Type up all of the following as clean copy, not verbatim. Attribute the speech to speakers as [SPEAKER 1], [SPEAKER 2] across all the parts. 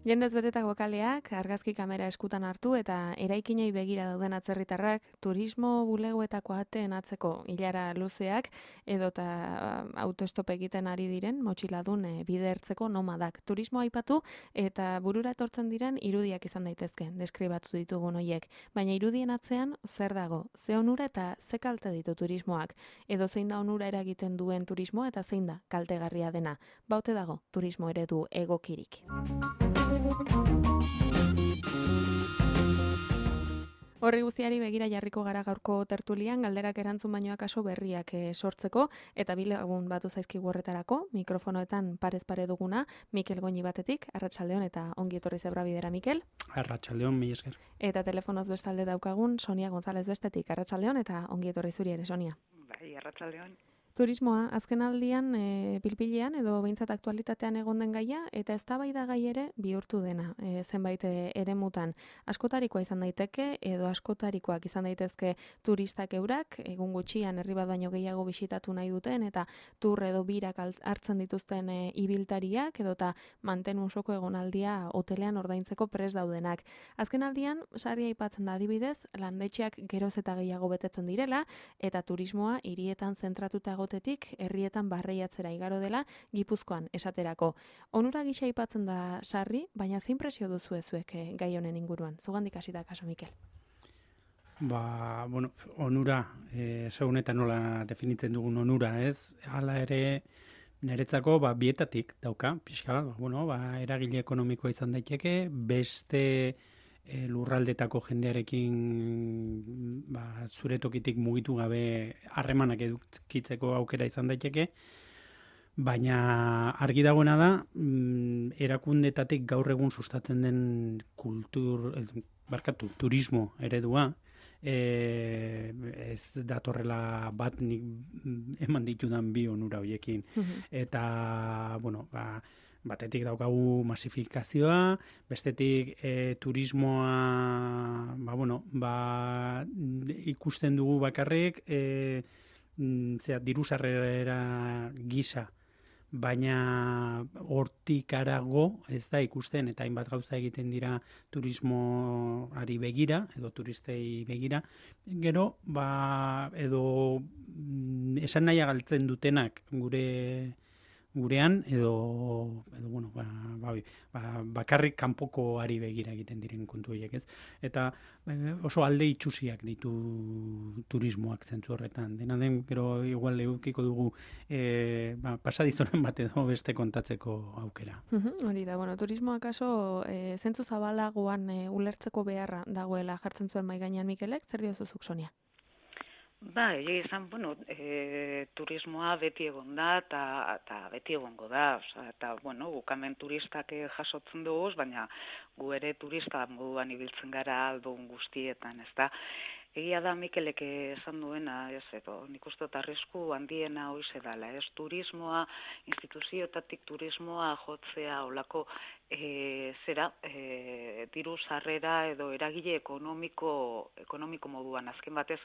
[SPEAKER 1] Jendez betetako kaleak, argazki kamera eskutan hartu eta eraikinei begira dauden atzerritarrak, turismo bulegoetako ateen atzeko ilara luzeak edota autostop egiten ari diren motxiladun bide ertzeko nomadak. Turismo aipatu eta burura etortzen diren irudiak izan daitezke, deskribatu ditugun hoiek. Baina irudien atzean zer dago, ze onura eta ze kalte ditu turismoak, edo zein da onura eragiten duen turismoa eta zein da kaltegarria dena. Baute dago turismo eredu egokirik. Horri guztiari begira jarriko gara gaurko tertulian, galderak erantzun baino akaso berriak sortzeko, eta bi lagun batu zaizkigu horretarako, mikrofonoetan parez pare duguna, Mikel Goñi batetik, arratsaldeon eta ongi etorri Zebrabidera, Mikel.
[SPEAKER 2] Arratsaldeon, mila esker.
[SPEAKER 1] Eta telefonoz bestalde daukagun, Sonia González bestetik, arratsaldeon eta ongi etorri zuri ere, Sonia.
[SPEAKER 3] Bai, arratsaldeon.
[SPEAKER 1] Turismoa, azken aldian pilpilean edo behintzat aktualitatean egon den gaia, eta eztabaida gai ere bihurtu dena, zenbait eremutan. Askotarikoa izan daiteke, edo askotarikoak izan daitezke turistak eurak, egun gutxian herri bat baino gehiago bisitatu nahi duten, eta tur edo birak hartzen dituzten ibiltariak, edota mantenu osoko egonaldia hotelean ordaintzeko prest daudenak. Azken aldian, sari aipatzen da adibidez, landetxeak geroz eta gehiago betetzen direla, eta turismoa hirietan zentratuta egotetik herrietan barreiatzera igaro dela Gipuzkoan esaterako. Onura gisa aipatzen da sarri, baina zein presio duzu zuek gai honen inguruan? Zugandik hasi da kaso, Mikel.
[SPEAKER 2] Onura, segun eta nola definitzen dugun onura, ez? Hala ere, niretzako bietatik dauka, pixka, eragile ekonomikoa izan daiteke, beste lurraldetako jendearekin zure tokitik mugitu gabe harremanak edukitzeko aukera izan daiteke, baina argi dagoena da, erakundetatik gaur egun sustatzen den turismo eredua, ez datorrela bat nik eman ditudan bi onura horiekin. Eta, batetik daukagu masifikazioa, bestetik turismoa ikusten dugu bakarrik diru sarrera gisa, baina hortik harago ez da ikusten eta hainbat gauza egiten dira turismoari begira edo turistei begira. Gero, edo esan nahia galtzen dutenak gurean edo bakarrik kanpokoari begira egiten diren kontu horiek, ez? Eta oso alde itxusiak ditu turismoak zentzu horretan. Dena den, gero igual edukiko dugu pasadizoren bat edo beste kontatzeko aukera.
[SPEAKER 1] Hori da, turismoak aso zentzu zabalagoan ulertzeko beharra dagoela jartzen zuen mahai gainean Mikelek, zer diozuzuk, Sonia?
[SPEAKER 3] Egia izan, turismoa beti egon da eta beti egongo da. Eta, bukamen turistak jasotzen dugu, baina gu ere turista moduan ibiltzen gara aldun guztietan, ez da. Egia da Mikelek esan duena, nik uste dut arrisku handiena hoize dela, ez? Turismoa, instituzioetatik turismoa jotzea olako diru sarrera edo eragile ekonomiko moduan. Azken batez,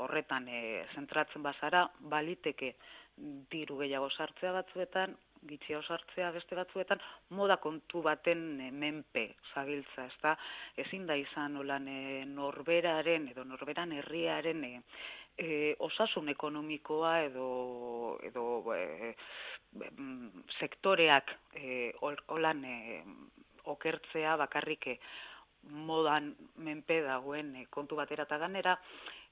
[SPEAKER 3] horretan zentratzen bazara, baliteke diru gehiago sartzea batzuetan, gitxiago sartzea beste batzuetan, moda kontu baten menpe zabiltza, ez da, ezin da izan olan norberaren edo norberan herriaren osasun ekonomikoa edo sektoreak olan okertzea bakarrik modan menpe dagoen kontu batera eta ganera,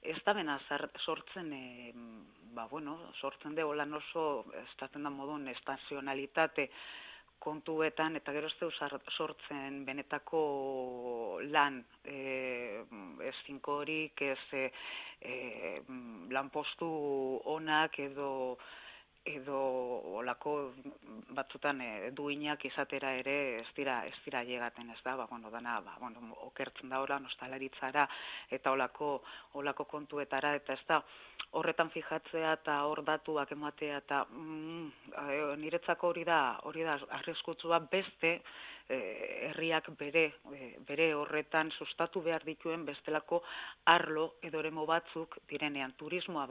[SPEAKER 3] ez da bena sortzen, sortzen de holan oso, estatzen da modun, estazionalitate kontuetan, eta gero ez deu sortzen benetako lan, ez finkorik, ez lanpostu onak edo olako batzutan duinak izatera ere ez dira llegaten, ez da, dana, okertzen da horan, ostalaritzara eta olako kontuetara, eta ez da, horretan fijatzea eta hor datuak ematea, eta niretzako hori da arriskutsua beste herriak bere horretan sustatu behar dituen bestelako arlo edo eremu batzuk direnean. Turismoa,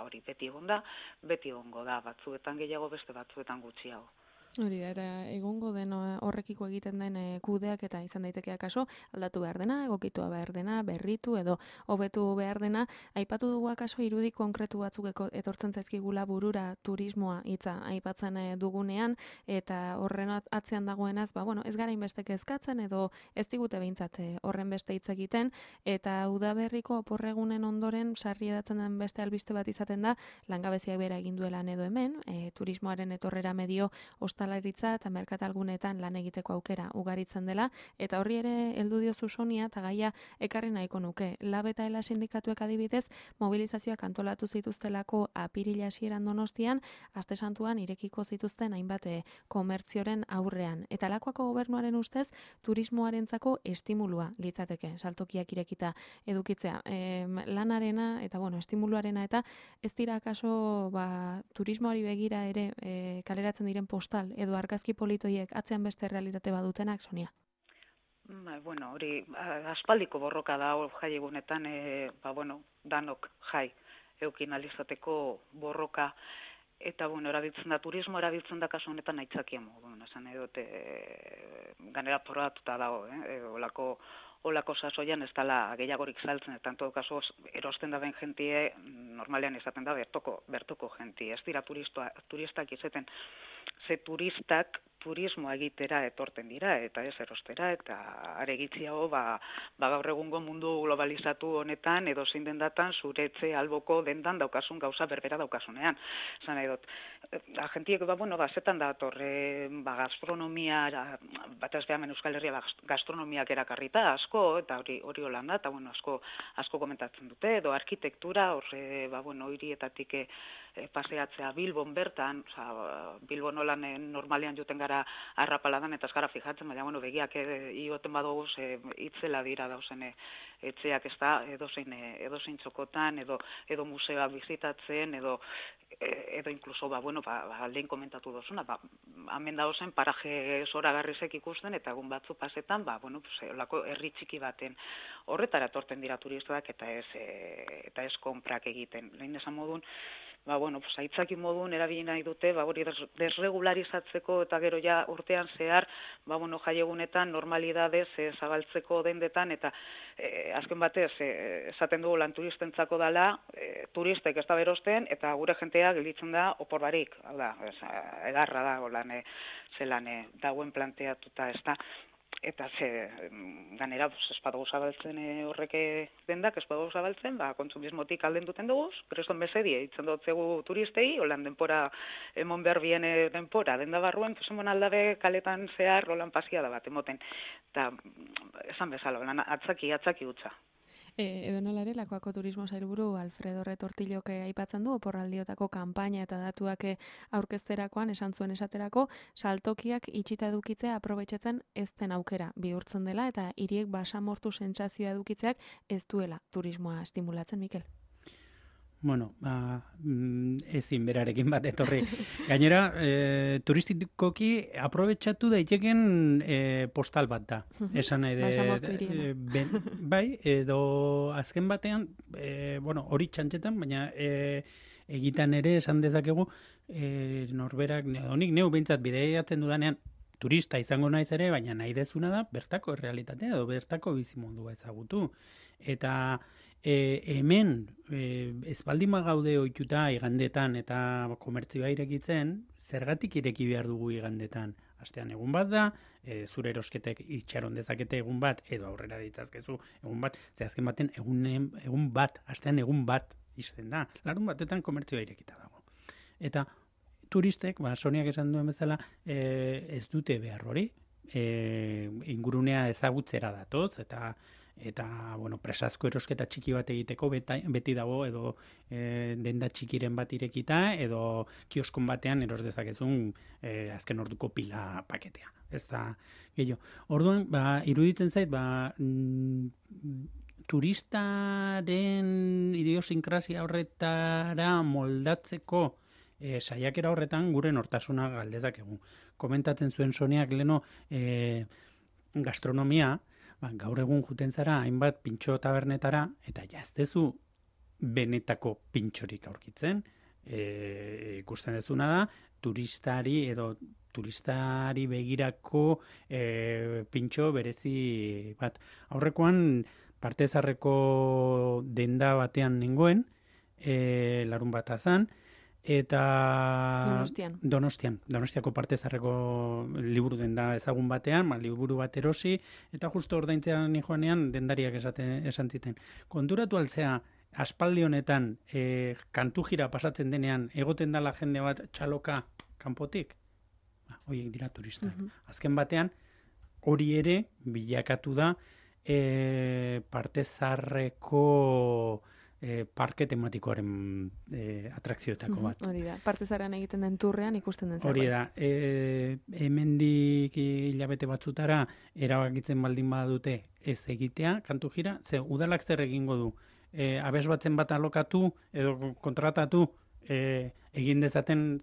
[SPEAKER 3] hori beti egongo da, batzuetan gehiago, beste batzuetan gutxiago.
[SPEAKER 1] Hori da, eta egongo den horrekiko egiten den kudeak eta izan daitekeak kaso, aldatu behar dena, egokitua behar dena, berritu edo hobetu behar dena. Aipatu dugu akaso irudi konkretu batzuk etortzen zaizkigula burura turismoa hitza aipatzen dugunean, eta horren atzean dagoenaz, ez gara inbeste kezkatzen edo ez digute behintzat horren beste hitz egiten, eta udaberriko oporregunen ondoren sarri edatzen den beste albiste bat izaten da, langabeziak bera egin duelan edo hemen, turismoaren etorrera medio ostalaritza eta merkatalgunetan lan egiteko aukera ugaritzen dela, eta horri ere heldu diozu Sonia, eta gaia ekarri nahiko nuke. Lab eta ELA sindikatuek adibidez, mobilizazioak antolatu zituztelako apirila hasieran Donostian, aste santuan irekiko zituzten hainbat komertzioren aurrean. Eta lakoako gobernuaren ustez, turismoarentzako estimulua litzateke, saltokiak irekita edukitzea. Lanarena eta estimuluarena eta ez dira akaso turismoari begira ere kaleratzen diren postal edo argazki politoiek atzean beste realitate badutenak, Sonia?
[SPEAKER 3] Hori aspaldiko borroka da jai egunetan, danok jai eukin alizateko borroka, eta turismo erabiltzen da kasu honetan aitzakia moduan, esan edot ganera porratuta dago, olako sasoian ez dela gehiagorik saltzen, eta en todo caso erosten da den jentie normalean izaten da bertoko jentie, ez dira turistak izaten, ze turistak turismoa egitera etorten dira, eta ez erostera, eta aregitziago gaur egungo mundu globalizatu honetan, edo zein dendatan, zure etxe alboko dendan daukasun gauza berbera daukasunean. Zan edot, agentiek, zetan da torre, gastronomia, batez behamen Euskal Herria gastronomiak erakarrita, asko, eta hori holanda, eta asko komentatzen dute, edo arkitektura, hirietatik paseatzea Bilbon bertan, Bilbon holan normalean juten gara arrapaladan eta ez gara fijatzen, baina begiak ioten badugu itzela dira dauzen etxeak ez da edozein txokotan, edo museoa bizitatzen, edo inkluso, lehen komentatu dozuna, hemen dauzen paraje zoragarrizek ikusten, eta egun batzu pasetan, olako herri txiki baten horretara torten dira turistak, eta ez konprak egiten. Lehen esan modun, aitzaki modun erabili nahi dute, hori desregularizatzeko eta gero ja urtean zehar, jai egunetan normalidadez zabaltzeko dendetan, eta azken batez, esaten dugu lan turistentzako dela, turistek ez da berosten, eta gure jentea gelitzen da opor barik, egarra da, zelan dauen planteatuta ez da. Eta ganera, espadugu zabaltzen horrek dendak, espadugu zabaltzen, kontsumismotik alden duten dugu, kreston bezedie, itzen dutzegu turistei, holan denpora, emon behar bien denpora, denda barruen, emon aldabe kaletan zehar, holan pasia da bat, emoten. Eta, esan bezala, holan atzaki utza.
[SPEAKER 1] Edo nola ere, Lakuako turismo sailburu Alfredo Retortillok aipatzen du, oporraldiotako kanpaina eta datuak aurkezterakoan esan zuen esaterako, saltokiak itxita edukitzea aprobetxatzen ez den aukera bihurtzen dela, eta hiriek basamortu sentsazioa edukitzeak ez duela turismoa estimulatzen, Mikel.
[SPEAKER 2] Ezin berarekin bat etorri. Gainera, turistikoki aprobetxatu daiteken postal bat da. Esan nahi edo azken batean, hori txantxetan, baina egitan ere esan dezakegu norberak, honik neu behintzat bideiatzen dudanean, turista izango naiz ere, baina nahi dezuna da bertako errealitatea edo bertako bizimodua ezagutu. Eta hemen espaldima gaude ohituta igandetan eta komertzioa irekitzen, zergatik ireki behar dugu igandetan? Astean egun bat da, zure erosketek itxaron dezakete egun bat, edo aurrera ditzazkezu egun bat, azken baten egun bat, astean egun bat izten da. Larun batetan komertzioa irekita dago. Eta turistek, Soniak esan duen bezala, ez dute behar hori, ingurunea ezagutzera datoz, eta presazko erosketa txiki bat egiteko beti dago, edo denda txikiren bat irekita, edo kioskon batean eros dezakezun azken orduko pila paketea. Ez da, gehiago. Orduan, iruditzen zait, turistaren idiosinkrazia horretara moldatzeko saiakera horretan gure nortasuna galdezakegu. Komentatzen zuen Soniak leno gastronomia, gaur egun juten zara hainbat pintxo tabernetara, eta jaztezu benetako pintxorik aurkitzen. Ikusten dezuna da, turistari edo turistari begirako pintxo berezi bat. Aurrekoan Partezarreko denda batean nengoen, larun bat azan, eta Donostiako Partezarreko liburu denda ezagun batean, liburu bat erosi, eta justo ordaintzean joanean dendariak esan ziten. Konturatu altzea, aspaldi honetan kantu jira pasatzen denean, egoten dala jende bat txaloka kanpotik? Horiek dira turistak. Azken batean, hori ere bilakatu da Partezarreko parke tematikoaren atrakzioetako bat.
[SPEAKER 1] Hori da, Partezarrean egiten den turrean ikusten den zerbait.
[SPEAKER 2] Hori da, hemendik hilabete batzutara erabakitzen baldin badute ez egitea, kantu jira, udalak zer egingo du? Abes batzen bat alokatu edo kontratatu egin dezaten,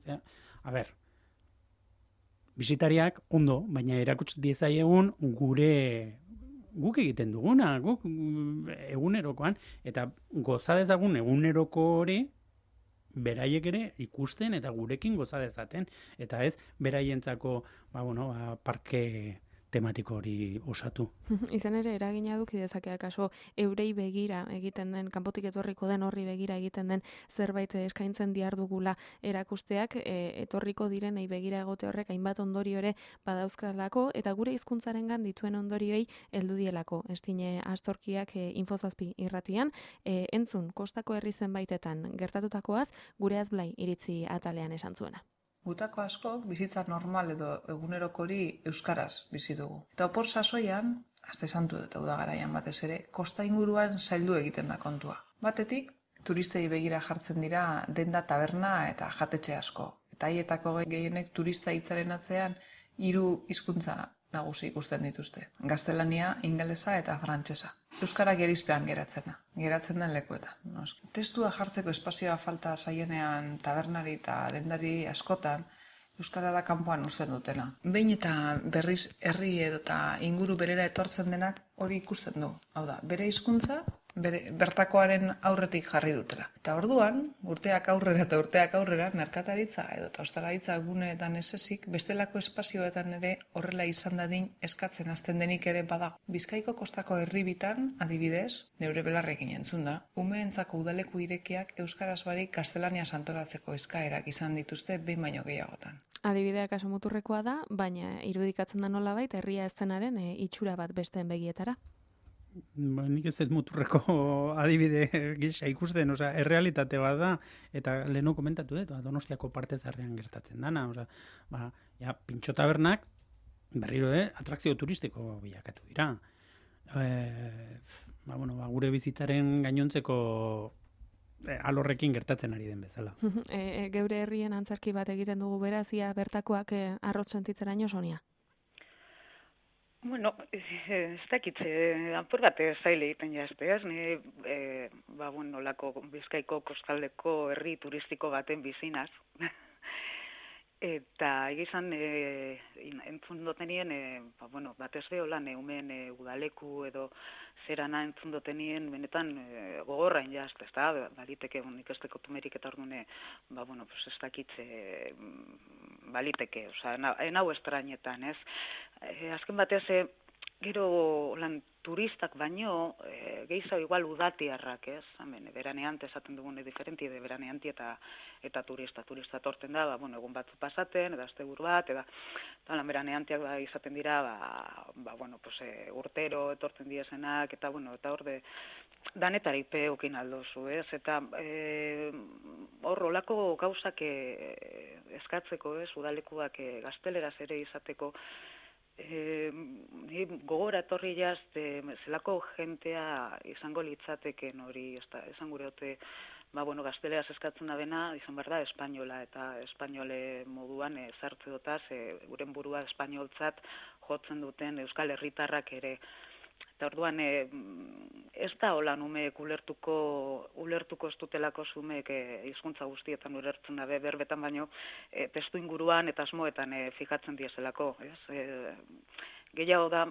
[SPEAKER 2] bisitariak ondo, baina erakuts diezaiegun guk egiten duguna, guk egunerokoan, eta goza dezagun eguneroko hori beraiek ere ikusten eta gurekin goza dezaten, eta ez beraientzako parke tematiko hori osatu.
[SPEAKER 1] Izan ere, eragina duki dezakea kaso eurei begira egiten den, kanpotik etorriko den horri begira egiten den zerbait eskaintzen dihardugula erakusteak, etorriko direnei begira egote horrek hainbat ondorio ere badauzkalako, eta gure hizkuntzarengan dituen ondorioei heldu dielako. Estine Astorkiak Infozazpi irratian, entzun kostako herri zenbaitetan gertatutakoaz, gure Azblai iritzi atalean esan zuena.
[SPEAKER 4] Gutako askok bizitza normal edo egunerokori euskaraz bizi dugu. Eta opor sasoian, aste santu eta udagaraian batez ere, kosta inguruan zaildu egiten da kontua. Batetik, turistei begira jartzen dira denda taberna eta jatetxe asko. Eta haietako gehienek turista hitzaren atzean 3 hizkuntza nagusi ikusten dituzte. Gaztelania, ingelesa eta frantsesa. Euskara gerizpean geratzen den lekuetan. Testua jartzeko espazioa falta zaienean tabernari eta dendari askotan, euskara da kanpoan uzten dutena. Behin eta berriz herri edota inguru berera etortzen denak hori ikusten du. Hau da, bere hizkuntza bertakoaren aurretik jarri dutela. Eta orduan, urteak aurrera, merkataritza edo ostalaritza guneetan ez ezik, bestelako espazioetan ere horrela izan dadin eskatzen hasten denik ere badago. Bizkaiko kostako herribitan, adibidez, neure belarrekin entzun da, umeentzako udaleku irekiak euskaraz barik gaztelaniaz antolatzeko eskaerak izan dituzte behin baino gehiagotan.
[SPEAKER 1] Adibidea kaso muturrekoa da, baina irudikatzen da nolabait herria ez denaren itxura bat besteen begietara.
[SPEAKER 2] Nik ez dut muturreko adibide gisa ikusten, errealitate bat da, eta lehenu komentatu dut, Donostiako Partezarrean gertatzen dana, pintxo tabernak, berriro atrakzio turistiko bilakatu dira. Gure bizitzaren gainontzeko alorrekin gertatzen ari den bezala.
[SPEAKER 1] Geure herrien antzerki bat egiten dugu berazia bertakoak arrotz sentitzeraino Sonia?
[SPEAKER 3] Bueno, ez dakitze, apur bat zaile egiten jazte, ez? Ni, lako Bizkaiko kostaldeko herri turistiko baten bizinaz. Eta egizan, entzun dotenien, batez beholan, eumen udaleku edo zerana entzun dotenien, benetan gogorrain jazte, ez da? Baliteke, nik ez teko tumerik eta orduan, ez dakitze, baliteke, enau estrainetan, ez? Azken batez, gero turistak baino, gehiago igual udatiarrak, ez? Beraneante esaten dugune diferenti, beraneanti eta turista. Turista torten da, egun batzu pasaten, edo asteburu bat, eta beraneantiak izaten dira, urtero etortzen diezenak, eta hor danetarik peukin aldozu, ez? Eta hor olako gauzak eskatzeko, ez? Udalekuak gazteleraz ere izateko, gogora etorri jazte, zelako jentea izango litzateken hori, esan gure hote, gazteleraz eskatzen da bena, izan behar da, espainola, eta espainole moduan zartze dotaz, guren burua espainoltzat jotzen duten euskal herritarrak ere. Eta orduan, ez da holan umeek ulertuko ez dutelako zumeek hizkuntza guztietan ulertzen dabe, berbetan baino, testu inguruan eta asmoetan fijatzen diezelako. Gehiago da,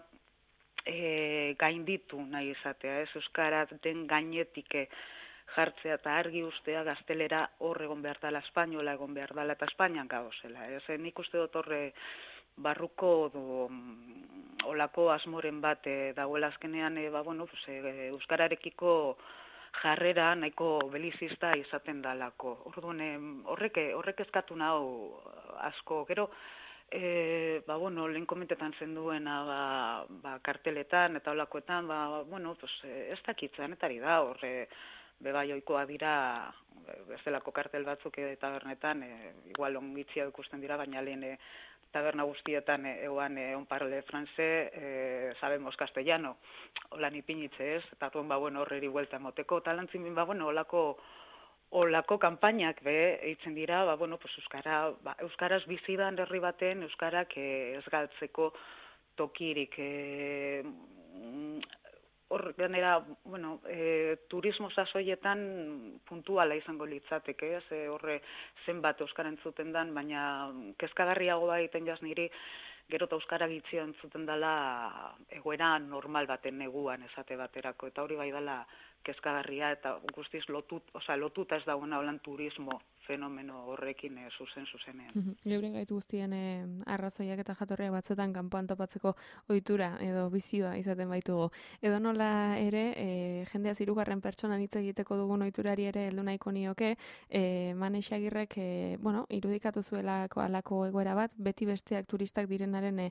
[SPEAKER 3] gainditu nahi izatea, ez? Euskara den gainetik jartzea eta argi ustea gaztelera hor egon behar dela, espainola egon behar dela eta Espainian gauzela. Nik uste dut horre barruko olako asmoren bat dagoela azkenean, euskararekiko jarrera nahiko belizista izaten dalako. Orduan, horrek eskatu nau asko. Gero, lehen komentetan zenduena karteletan eta olakoetan, ez dakitzen, etari da, horre, bebai oikoa dira, bezalako kartel batzuk tabernetan, igual ongitzia ikusten dira, baina lehen taberna guztietan egoan on parle franse, sabemos castellano, holan ipinitze ez, eta horreri huelta moteko, talantzin olako kanpainak eitzen dira, euskaraz bizidan herri baten, euskarak ez galtzeko tokirik. Hor, ganera, turismo sasoietan puntuala izango litzateke, horre zenbat euskara entzuten dan, baina kezkagarriago egiten jaz niri, gero eta euskara gitzio entzuten dela egoera normal baten neguan esate baterako, eta hori bai dela kezkagarria, eta guztiz lotuta ez dagoena holan turismo fenomeno horrekin zuzenean.
[SPEAKER 1] Geuren gaitz guztien arrazoiak eta jatorriak batzuetan kanpoan topatzeko ohitura edo bizioa izaten baitugu. Edo nola ere, jendeaz hirugarren pertsonan hitz egiteko dugun ohiturari ere heldu nahiko nioke, Mane Xagirrek, irudikatu zuelako halako egoera bat, beti besteak turistak direnaren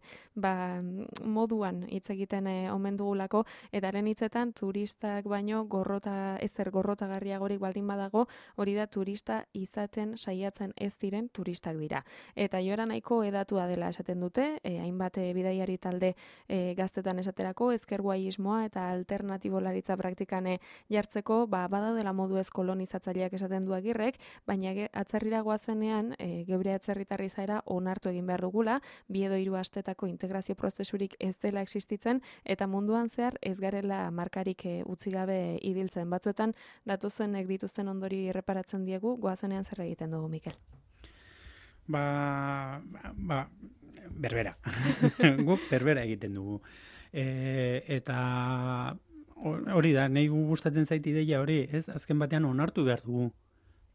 [SPEAKER 1] moduan hitz egiten omen dugulako, eta haren hitzetan turistak baino gorrotagarriagorik baldin badago, hori da turista izaten saiatzen ez diren turistak dira. Eta joera nahiko edatua dela esaten dute, hainbat bidaiari talde gaztetan esaterako, ezkerguaismoa eta alternatibolaritza praktikane jartzeko, badaudela modu ez kolonizatzaileak esaten du Agirrek, baina atzerrira goazenean, geure atzerritarri zaera onartu egin behar dugula, 2 edo 3 astetako integrazio prozesurik ez dela existitzen, eta munduan zehar ez garela markarik utzi gabe ibiltzen. Batzuetan, datozenek dituzten ondori erreparatzen diegu, goazenean zer egiten dugu, Mikel?
[SPEAKER 2] Berbera. Guk berbera egiten dugu. Eta hori da, nahi gustatzen zait ideia hori, ez? Azken batean onartu behar dugu.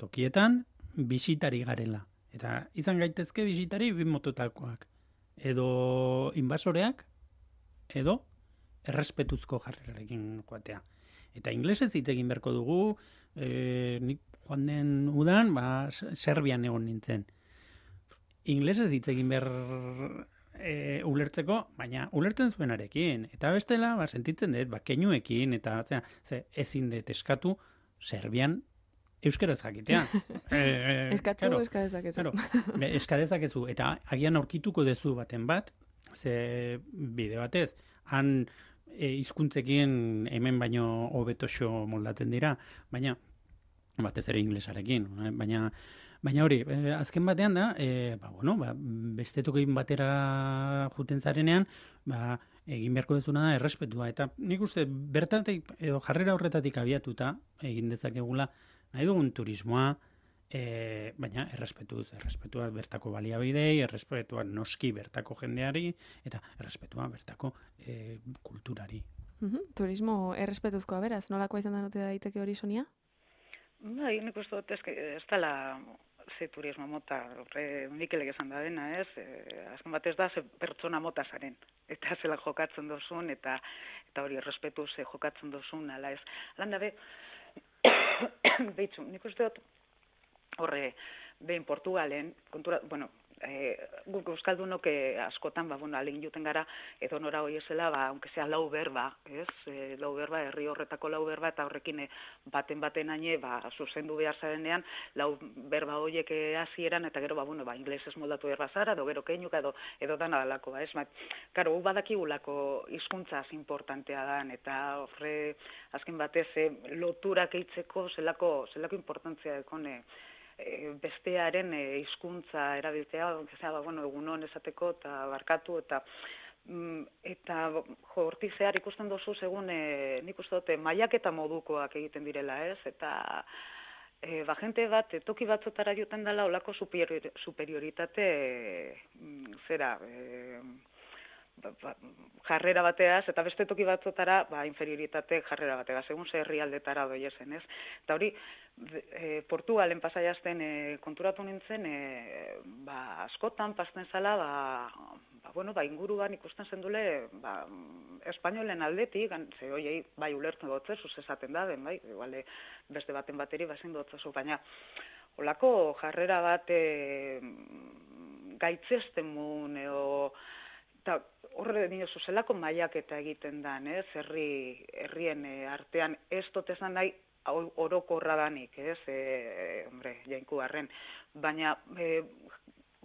[SPEAKER 2] Tokietan, bisitari garela. Eta izan gaitezke bisitari 2 mototakoak. Edo inbasoreak, edo errespetuzko jarrerarekin joatea. Eta inglesez hitz egin beharko dugu, nik joan den udan, Serbian egon nintzen. Inglesez hitz egin behar ulertzeko, baina ulertzen zuenarekin. Eta bestela, sentitzen dut, keinuekin, eta ezin dut eskatu Serbian euskaraz jakitea.
[SPEAKER 1] Eskatu, eskadezakezu.
[SPEAKER 2] Eskadezakezu, eta agian aurkituko dezu baten bat, ze bide batez, han hizkuntzekin hemen baino hobetoxo moldatzen dira, baina batez ere inglesarekin, baina hori, azken batean da, beste tokin batera juten zarenean, egin beharko dezuna da errespetua, eta nik uste bertatik edo jarrera horretatik abiatuta egin dezakegula nahi dugun turismoa, baina errespetua bertako baliabidei, errespetua noski bertako jendeari, eta errespetua bertako kulturari.
[SPEAKER 1] Turismo errespetuzkoa beraz, nolakoa izan da note daiteke hori, Sonia?
[SPEAKER 3] Nik uste dut ez dela ze turismo mota, Mikelek esan da dena, ez? Azken batez da, ze pertsona mota zaren. Eta zela jokatzen dozun, eta hori errespetuz jokatzen dozun, ala ez. Landa behitzu, nik uste dut, horre, behin Portugalen, guk euskaldunok askotan, alegin juten gara, edo nora hoi ezela, aunque sea lau berba, ez? Lau berba, herri horretako lau berba, eta horrekin baten haine, zuzendu behar zarenean, lau berba horiek hasieran, eta gero, inglesez moldatu berba zara, edo gero keinuka, edo dana dalako, ez? Karo, gu badakigulako hizkuntzaz importantea dan, eta horre, azken batez, loturak eitzeko zelako importantzia dekone, bestearen hizkuntza erabiltzea, egunon esateko eta barkatu, eta hortik zehar ikusten dozu segun nik uste dute mailaketa modukoak egiten direla, ez? Eta jente bat, toki batzotara joten dela olako superioritate jarrera bateaz, eta beste toki batzotara, inferioritate jarrera bateaz, segun ze herrialdetara doiezen, ez? Eta hori, Portugalen pasaiazten konturatu nintzen, askotan pasten zala, inguruan ikusten zendule, espainolen aldetik, ze hoiei, ulertzen dutzezu, esaten da, den, iguale, beste baten bateri, ezin dutzezu, baina, olako jarrera bat gaitzesten mun, eta horre dinozu zelako maiaketa egiten dan, herrien artean ez dotezan nahi orokorra danik, jainku harren, baina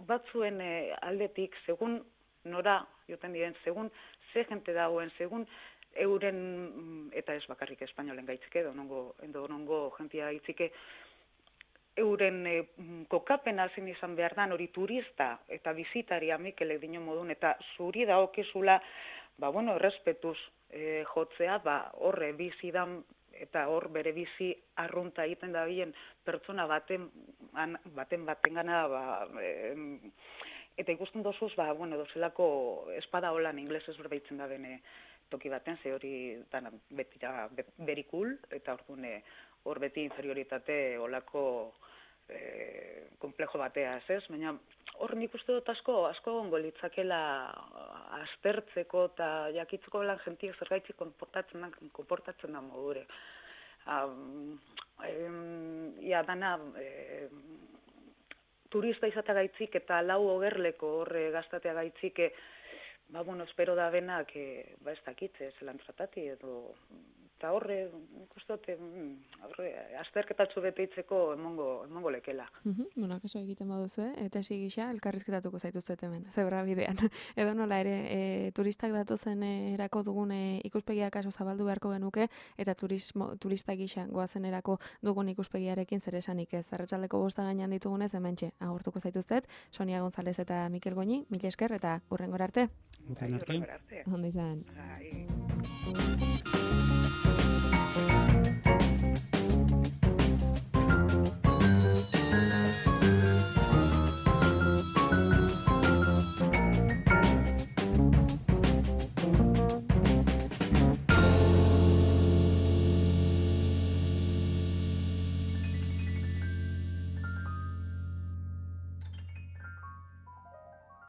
[SPEAKER 3] batzuen aldetik, segun nora joten diren, segun ze jente dagoen, segun euren, eta ez bakarrik espainolen gaitzike, edo nongo jentia gaitzike, euren kokapena zein izan behar dan, hori turista eta bizitaria Mikelek dino modun, eta zuri daokizula, errespetuz jotzea, horre bizidan, eta hor bere bizi arrunta egiten da bilen pertsona baten gana, eta ikusten dozuz, dozelako espada holan inglesez berbaitzen da bene toki baten, ze hori betira berikul, eta hor beti inferioritate olako komplejo batea, ez? Baina hor nik uste dut asko gongo litzakela aztertzeko eta jakitzeko belan jentiek zergaitzik konportatzen da modure. Dana turista izatea gaitzik eta lau ogerleko horre gaztatea gaitzik, espero da benak, ez dakitze, zelan tratati edo, eta horre, ikustote, azterketatxo beteitzeko emongo lekela.
[SPEAKER 1] Kaso egiten baduzu, eta gisa elkarrizketatuko zaituztet hemen, zebra bidean. Edo nola ere, turistak datozen erako dugun ikuspegia kaso zabaldu beharko genuke, eta turista gisa goazen erako dugun ikuspegiarekin zer esanik ez. Arratsaldeko 5 gainean ditugunez, hementxe agurtuko zaituztet, Sonia González eta Mikel Goñi, mila esker eta hurrengora arte.
[SPEAKER 2] Hurrengora arte.
[SPEAKER 1] Ondo izan.
[SPEAKER 3] Ai.